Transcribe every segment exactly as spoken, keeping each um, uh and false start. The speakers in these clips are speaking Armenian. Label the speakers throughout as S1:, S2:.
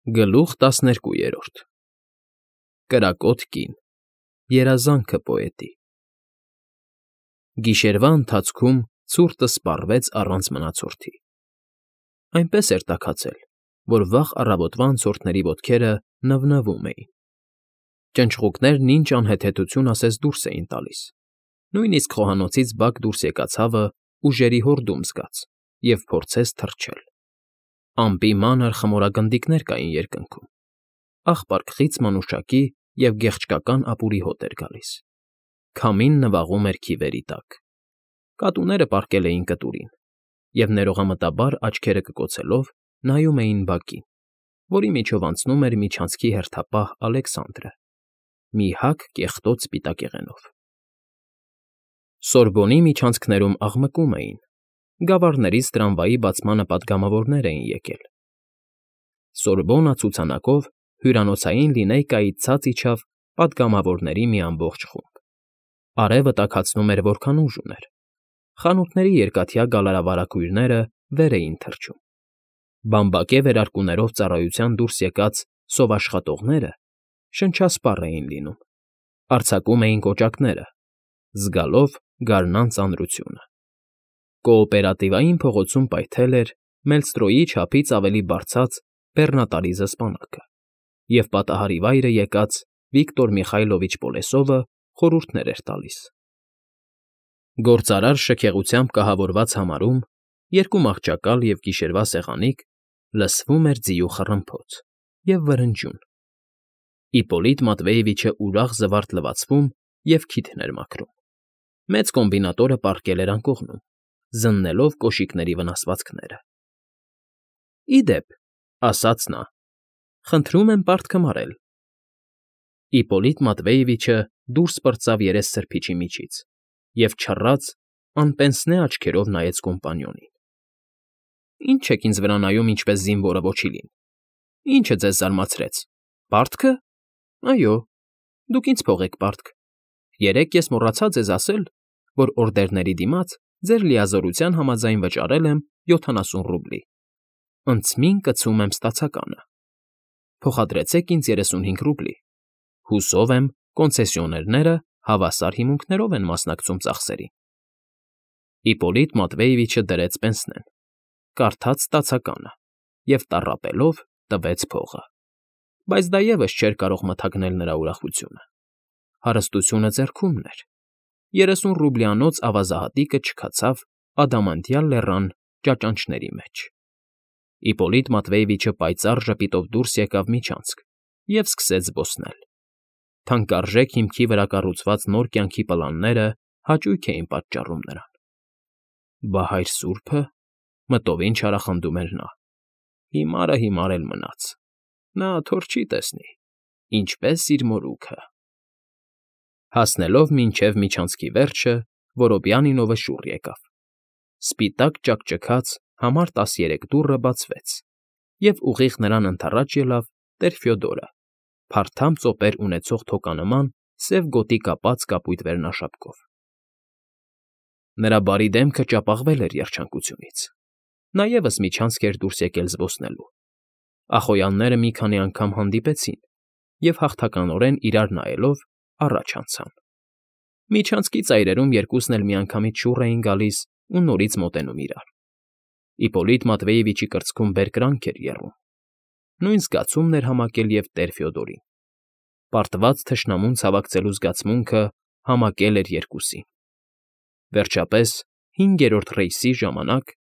S1: Գլուխ տասներկուերորդ Կրակոտ կին, երազանքը պոետի։ Գիշերվա ընթացքում ցուրտը սպառվեց առանց մնացորդի։ Այնպես էր տաքացել, որ վաղ առավոտվա անցորդների ոտքերը նվնվում էին։ Ճնճղուկներն ինչ անհեթեթություն ասես դուրս էին տալիս, նույնիսկ խոհանոցից բակ դուրս եկած հավը ուժերի հորդում զգաց և փորձեց թռչել։ Ամպի մանր խմորագնդիկներ կային երկնքում, աղպար-քխիծ մանուշակի և գեղչկական ապուրի հոտ էր գալիս, քամին նվաղում էր քիվերի տակ, կատուները պառկել էին կտուրին և ներողամտաբար աչքերը կկոցելով նայում էին բակին, որի միջով անցնում էր միջանցքի հերթապահ Ալեքսանդրը, մի հագ կեղտոտ սպիտակեղենով։ Սորբոնի միջանցքներում աղմկում էին, գավառներից տրամվայի բացմանը պատգամավորներ էին եկել։ Սորբոննա ցուցանակով հյուրանոցային լինեյկայից ցած իջավ պատգամավորների մի ամբողջ խումբ։ Արևը տաքացնում էր որքան ուժ ուներ, խանութների երկաթյա գալարավարակույրները վեր էին թռչում, բամբակե վերարկուներով ծառայության դուրս եկած սովաշխատողները շնչասպառ էին լինում, արձակում էին կոճակները, զգալով գարնան ծանրությունը։ Կոոպերատիվային փողոցում պայթել էր Մելստրոյի չափից ավելի բարձած բեռնատարի զսպանակը, և պատահարի վայրը եկած Վիկտոր Միխայլովիչ Պոլեսովը խորհուրդներ էր տալիս։ Գործարար շքեղությամբ կահավորված համարում, երկու մահճակալ և գիշերվա սեղանիկ, լսվում էր ձիու խռմփոց և վրնջյուն։ Իպպոլիտ Մատվեևիչը ուրախ զվարթ լվացվում և քիթն էր մաքրում։ Մեծ կոմբինատորը պառկել էր անկողնում, զննելով կոշիկների վնասվածքները։ ֊ Ի դեպ,֊ ասաց նա,֊ խնդրում եմ պարտքը մարել։ Իպպոլիտ Մատվեևիչը դուրս պրծավ երեսսրբիչի միջից և չռած, անպենսնե աչքերով նայեց կոմպանիոնին։ ֊ Ի՞նչ եք ինձ վրա նայում ինչպես զինվորը ոչիլին, ի՞նչը ձեզ զարմացրեց, պարտքը։ Այո, դուք ինձ փող եք պարտք։ Երեկ ես մոռացա ձեզ ասել, որ օրդերների դիմաց ձեր լիազորության համաձայն վճարել եմ յոթանասուն ռուբլի, ընծմին կցում եմ ստացականը։ Փոխադրեցեք ինձ երեսունհինգ ռուբլի, հուսով եմ, կոնցեսիոներները հավասար հիմունքներով են մասնակցում ծախսերին։ Իպպոլիտ Մատվեևիչը դրեց պենսնեն, կարդաց ստացականը և տառապելով տվեց փողը, բայց դա ևս չէր կարող մթագնել նրա ուրախությունը։ Հարստությունը ձեռքումն էր, երեսուն ռուբլյանոց ավազահատիկը չքացավ ադամանդյալ լեռան ճաճանճների մեջ։ Իպպոլիտ Մատվեևիչը պայծառ ժպիտով դուրս եկավ միջանցք և սկսեց զբոսնել։ Թանկարժեք հիմքի վրա կառուցված նոր կյանքի պլանները հաճույք էին պատճառում նրան։ «Բա հայր սուրբը,֊ մտովին չարախնդում էր նա,֊ հիմարը հիմար էլ մնաց, նա թոր չի տեսնի, ինչպես իր մորուքը»։ Հասնելով մինչև միջանցքի վերջը, Որոբյանինովը շուռ եկավ։ Սպիտակ ճաքճքած համար տասներեք դուռը բացվեց, և ուղիղ նրան ընդառաջ ելավ տեր Ֆյոդորը, փարթամ ծոպեր ունեցող թոկանման սև գոտի կապած կապույտ վերնաշապկով։ Նրա բարի դեմքը ճապաղվել էր երջանկությունից։ Նա ևս միջանցք էր դուրս եկել զբոսնելու։ Ախոյանները մի քանի անգամ հանդիպեցին և, հաղթականորեն իրար նայելով, առաջ անցան։ Միջանցքի ծայրերում երկուսն էլ միանգամից շուռ էին գալիս ու նորից մոտենում իրար։ Իպպոլիտ Մատվեևիչի կրծքում բերկրանք էր եռում։ Նույն զգացումն էր համակել և տեր Ֆյոդորին։ Պարտված թշնամուն ցավակցելու զգացմունքը համակել էր երկուսին։ Վերջապես, հինգերորդ ռեյսի ժամանակ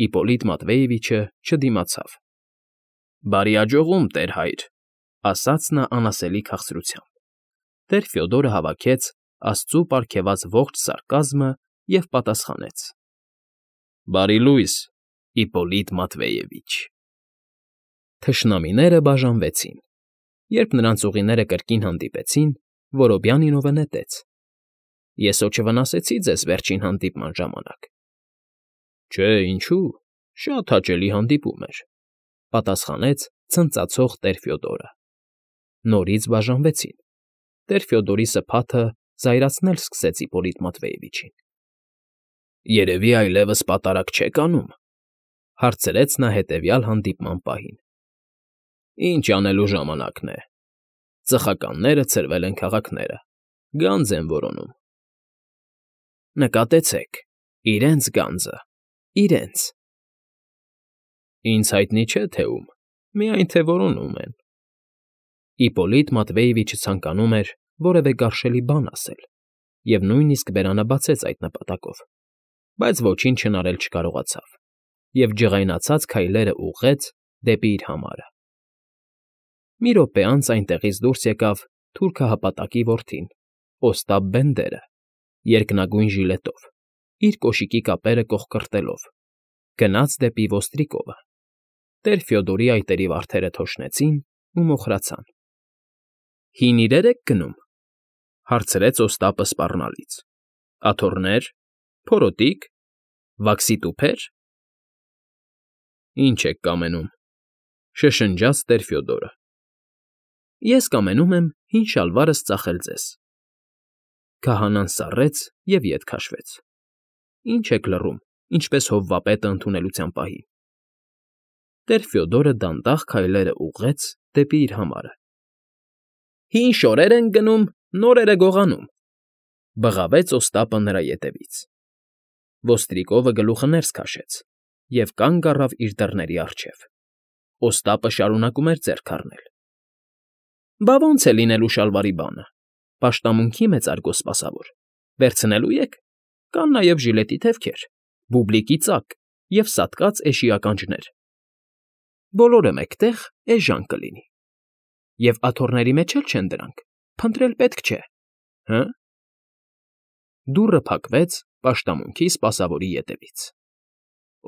S1: Իպպոլիտ Մատվեևիչը չդիմացավ։ ֊ Բարի աջողում, տեր֊հայր,֊ ասաց նա անասելի քաղցրությամբ։ Տեր Ֆյոդորը հավաքեց աստծու պարգևած ողջ սարկազմը և պատասխանեց. ֊ Բարի լույս, Իպպոլիտ Մատվեևիչ։ Թշնամիները բաժանվեցին։ Երբ նրանց ուղիները կրկին հանդիպեցին, Որոբյանինովը նետեց. ֊ Ես հո չվնասեցի ձեզ վերջին հանդիպման ժամանակ։ ֊ Չէ, ինչու, շատ հաճելի հանդիպում էր,֊ պատասխանեց ցնծացող տեր Ֆյոդորը։ Նորից բաժանվեցին։ Տեր Ֆյոդորի սփաթը զայրացնել սկսեց Իպպոլիտ Մատվեևիչին։ ֊ Երևի այլևս պատարագ չեք անում,֊ հարցրեց նա հետևյալ հանդիպման պահին։ Ինչ անելու ժամանակն է։ Ծխականները ցրվել են քաղաքները, գանձ են որոնում։ Նկատեցեք, իրենց գանձը, իրենց… Ինձ հայտնի չէ, թե ում, միայն թե որոնում են… Իպոլիտ Մատվեևիչը ցանկանում էր որևէ գարշելի բան ասել և նույնիսկ բերանը բացեց այդ նպատակով, բայց ոչինչ հնարել չկարողացավ և ջղայնացած քայլերը ուղղեց դեպի իր համարը։ Մի րոպե անց այնտեղից դուրս եկավ թուրքահպատակի որդին՝ Օստապ Բենդերը, երկնագույն ժիլետով, իր կոշիկի կապերը կոխկրտելով, գնաց դեպի ոստրիկովը։ Տեր Ֆյոդորի այտերի վարդերը թոշնեցին ու մոխրացան։ ֊ Հին իրե՞ր եք գնում,֊ հարցրեց Օստապը սպառնալից։֊ Աթոռնե՞ր, փորոտի՞կ, վաքսի տուփե՞ր… Ի՞նչ եք կամենում,֊ շշնջաց տեր Ֆյոդորը։ ֊ Ես կամենում եմ հին շալվարս ծախել ձեզ… Քահանան սառեց և ետ քաշվեց։ ֊ Ինչ եք լռում, ինչպես հովվապետը ընդունելության պահին… Տեր Ֆյոդորը դանդաղ քայլերը ուղղեց դեպի իր համարը։ ֊ Հին շորեր ենք գնում, նորերը գողանում,֊ բղավեց Օստապը նրա ետևից։ Ոստրիկովը գլուխը ներս քաշեց և կանգ առավ իր դռների առջև։ Օստապը շարունակում էր ձեռք խառնել։ ֊ Բա ո՞նց է լինելու շալվարի բանը, պաշտամունքի մեծարգո սպասավոր, վերցնելու ե՞ք, կան նաև ժիլետի թևքեր, բուբլիկի ծակ և սատկած էշի ականջներ… Բոլորը մեկտեղ էժան կլինի… Եվ աթոռների մեջ էլ չեն դրանք, փնտրել պետք չէ, հը՞… Դուռը փակվեց պաշտամունքի սպասավորի ետևից։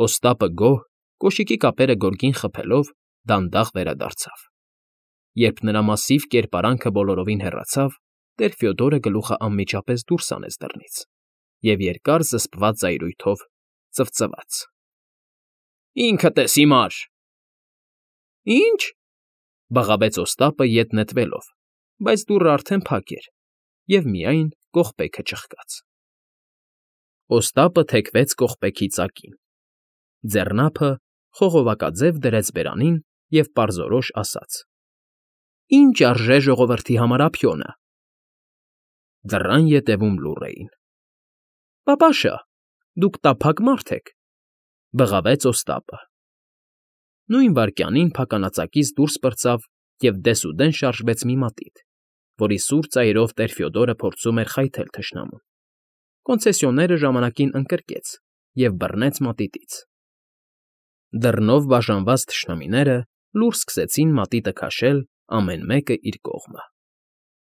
S1: Օստապը գոհ, կոշիկի կապերը գորգին խփելով, դանդաղ վերադարձավ։ Երբ նրա մասիվ կերպարանքը բոլորովին հեռացավ, տեր Ֆյոդորը գլուխը անմիջապես դուրս հանեց դռնից և երկար զսպված զայրույթով ծվծվաց. ֊ Ինքդ ես հիմար… ֊ Ի՞նչ,֊ բղավեց Օստապը ետ նետվելով, բայց դուռն արդեն փակ էր, և միայն կողպեքը ճղկաց։ Օստապը թեքվեց կողպեքի ծակին, ձեռնափը խողովակաձև դրեց բերանին և պարզորոշ ասաց. «Ի՞նչ արժե ժողովրդի համար ափիոնը»։ Դռան ետևում լուռ էին։ ֊ Պապաշը, դուք տափակ մարդ եք,֊ բղավեց Օստապը։ Նույն վայրկյանին փականածակից դուրս պրծավ և դեսուդեն շարժվեց մի մատիտ, որի սուր ծայրով տեր Ֆյոդորը փորձում էր խայթել թշնամուն։ Կոնցեսիոները ժամանակին ընկրկեց և բռնեց մատիտից։ Դռնով բաժանված թշնամիները լուռ սկսեցին մատիտը քաշել ամեն մեկը իր կողմը։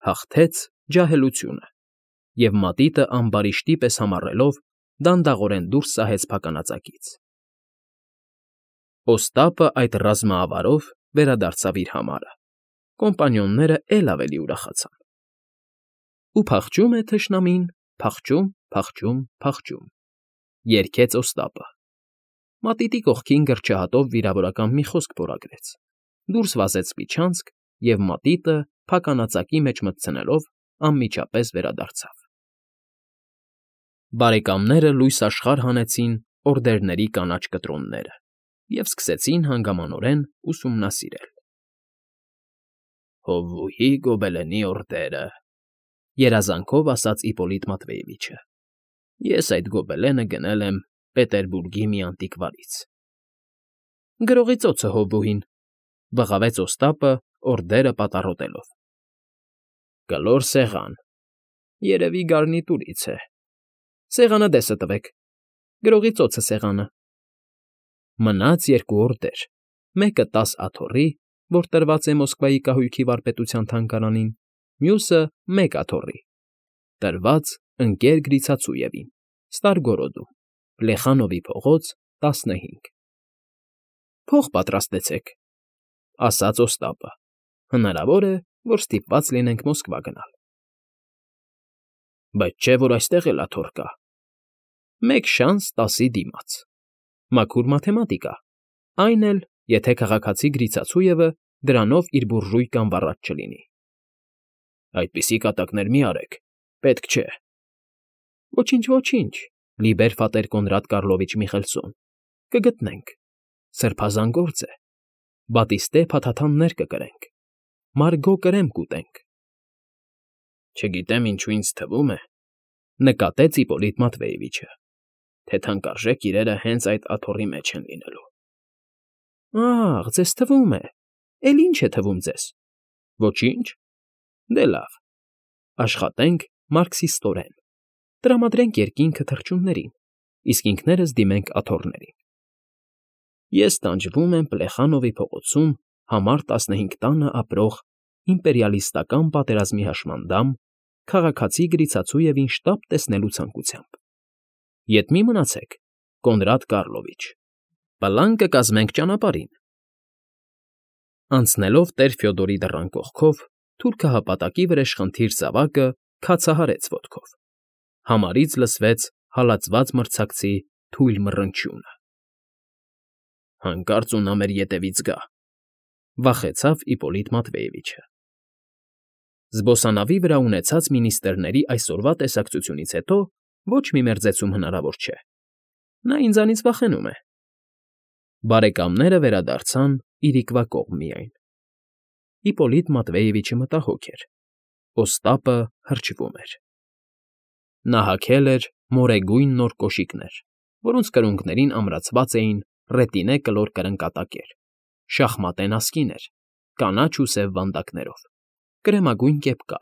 S1: Հաղթեց ջահելությունը, և մատիտը ամբարիշտի պես համառելով դանդաղորեն դուրս սահեց փականածակից։ Օստապը այդ ռազմաավարով վերադարձավ իր համարը, կոմպանիոնները էլ ավելի ուրախացան։ Ու փախչում է թշնամին, փախչում, փախչում, փախչում…֊ երգեց Օստապը։ Մատիտի կողքին գրչահատով վիրավորական մի խոսք փորագրեց, դուրս վազեց միջանցք և մատիտը փականածակի մեջ մտցնելով անմիջապես վերադարձավ։ Բարեկամները լույս աշխարհ հանեցին օրդերների կանաչ կտրոնները և սկսեցին հանգամանորեն ուսումնասիրել։ ֊ Հովուհի գոբլենի օրդերը…֊ երազանքով ասաց Իպոլիտ Մատվեևիչը։֊ Ես այդ գոբլենը գնել եմ Պետերբուրգի մի անտիկվարից… ֊ Գրողի ծոցը, հովուհին,֊ բղավեց Օստապը օրդերը պատառոտելով։ ֊ Կլոր սեղան… Երևի գարնիտուրից է… Սեղանը դեսը տվեք… Գրողի ծոցը սեղանը… Մնաց երկու օրդեր, մեկը տաս աթոռի, որ տրված է Մոսկվայի կահույքի վարպետության թանգարանին, մյուսը մեկ աթոռի, տրված ընկեր Գրիցացույևին, Ստարգորոդում, Պլեխանովի փողոց տասնհինգ։ ֊ Փող պատրաստեցեք,֊ ասաց Օստապը։֊ Հնարավոր է, որ ստիպված լինենք Մոսկվա գնալ։ ֊ Բայց չէ՞ որ այստեղ էլ աթոռ կա… Մեկ շանս տասի դիմաց… Մաքուր մաթեմատիկա, այն էլ, եթե քաղաքացի Գրիցացույևը դրանով իր բուրժույկան վառած չլինի։ ֊ Այդպիսի կատակներ մի արեք, պետք չէ… ֊ Ոչինչ, ոչինչ, լիբեր ֆատեր Կոնրադ Կառլովիչ Միխելսոն, կգտնենք… Սրբազան գործ է… բատիստե փաթաթաններ կկրենք, մարգո կրեմ կուտենք։ Չգիտեմ ինչու ինձ թվում է, նկատեց Իպոլիտ Մատվեևիչը, թե թանկարժեք իրերը հենց այդ աթոռի մեջ են լինելու։ Ա՜խ, ձեզ թվում է, էլ ի՞նչ է թվում ձեզ։ Ոչինչ։ Դե լավ, աշխատենք մարքսիստորեն, տրամադրենք երկինքը թռչուններին, իսկ ինքներս դիմենք աթոռներին։ Ես տանջվում եմ Պլեխանովի փողոցում համար տասնհինգ տանը ապրող իմպերիալիստական պատերազմի հաշմանդամ քաղաքացի Գրիցացույևին շտապ տեսնելու ցանկությամբ։ Ետ մի մնացեք, Կոնդրատ Կառլովիչ, պլան կկազմենք ճանապարհին։ Անցնելով տեր Ֆյոդորի դռան կողքով, թուրքը հապատակի վրեժխնդիր զավակը քացահարեց ոտքով։ Համարից լսվեց հալածված մրցակցի թույլ մռնչյունը։ Հանկարծ ու նա մեր ետևից գա, վախեցավ Իպոլիտ Մատվեևիչը։ Զբոսանավի վրա ունեցած մինիստրների այսօրվա տեսակցությունից հետո ոչ մի մերձեցում հնարավոր չէ։ Նա ինձանից վախենում է։ Բարեկամները վերադարձան իրիկվա կողմ միայն։ Իպոլիտ Մատվեևիչը մտահոգ էր։ Օստապը հրճվում էր։ Նա հագել էր մորեգույն նոր կոշիկներ, որոնց կրունկներին ամրացված էին ռետինե կլոր կրնկատակեր, շախմատե նասկիներ, կանաչ ու սև վանդակներով, կրեմագույն կեպկա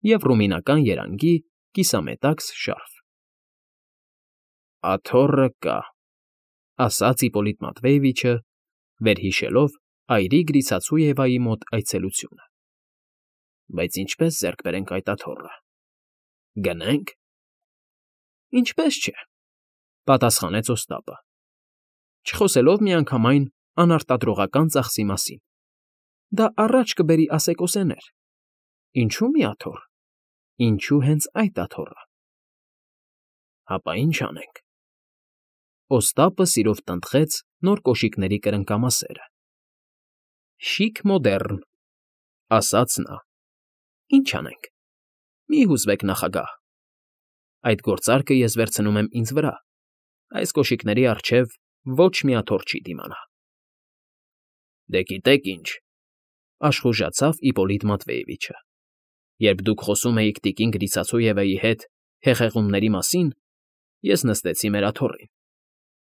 S1: և ռումինական երանգի կիսամետաքս շարֆ։ Աթոռը կա, ասաց Իպոլիտ Մատվեևիչը, վերհիշելով այրի Գրիցացույևայի մոտ այցելությունը։ Բայց ինչպե՞ս ձեռք բերենք այդ աթոռը։ Գնե՞նք։ Ինչպես չէ, պատասխանեց Օստապը, չխոսելով միանգամայն անարտադրողական ծախսի մասին։ Դա առաջ կբերի ասեկոսեներ։ Ինչու՞ մի աթոռ, ինչու հենց այդ աթոռը։ Հապա ինչ անենք։ Օստապը սիրով տնտղեց նոր կոշիկների կրնկամասերը։ Շիկ մոդեռն, ասաց նա։ Ինչ անենք։ Մի հուզվեք, նախագահ։ Այդ գործարքը ես վերցնում եմ ինձ վրա։ Այս կոշիկների առջև ոչ մի աթոռ չի դիմանա։ Դե գիտեք ինչ, աշխուժացավ Իպոլիտ Մատվեևիչը։ Երբ դուք խոսում էիք տիկին Գրիցացույևայի հետ հեղեղումների մասին, ես նստեցի մեր աթոռին,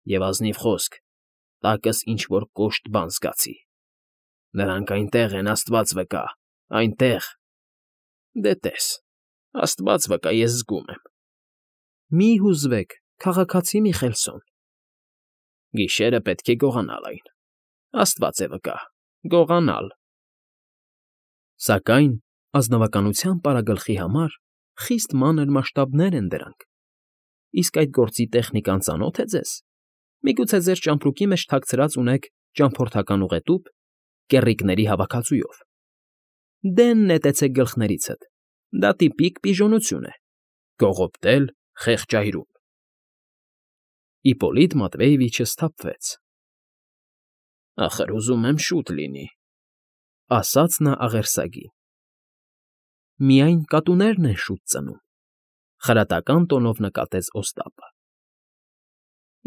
S1: և ազնիվ խոսք, տակս ինչ֊որ կոշտ բան զգացի։ Նրանք այնտեղ են, աստված վկա, այնտեղ։ Դե տես, աստված վկա, ես զգում եմ։ Մի հուզվեք, քաղաքացի Միխելսոն։ Գիշերը պետք է գողանալ այն, աստված է վկա, գողանալ։ Սակայն ազնվականության պարագլխի համար խիստ մանր մասշտաբներ են դրանք։ Իսկ այդ գործի տեխնիկան ծանո՞թ է ձեզ։ Միգուցե ձեր ճամպրուկի մեջ թաքցրած ունեք ճամփորդական ուղետուփ, կեռիկների հավաքածուով։ Դեն նետեցեք գլխներիցդ, դա տիպիկ պիժոնություն է, կողոպտել խեղճայրում։ Իպոլիտ Մատվեևիչը սթափվեց։ Ախր ուզում եմ շուտ լինի, ասաց նա աղերսագին։ Միայն կատուներն են շուտ ծնում, խրատական տոնով նկատեց Օստապը։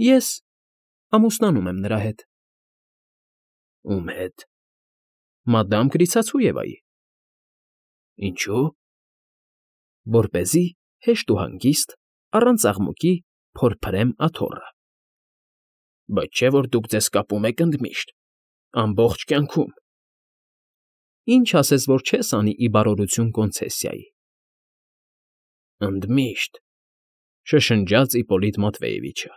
S1: Ես ամուսնանում եմ նրա հետ։ Ում հետ։ Մադամ Գրիցացույևայի։ Ինչո՞ւ։ Որպեսզի հեշտ ու հանգիստ, առանց աղմուկի փորփրեմ աթոռը։ Բայց չէ՞ որ դուք ձեզ կապում եք ընդմիշտ, ամբողջ կյանքում։ Ինչ ասես, որ չես անի ի բարօրություն կոնցեսիայի։ Ընդմիշտ, շշնջաց Իպոլիտ Մատվեևիչը։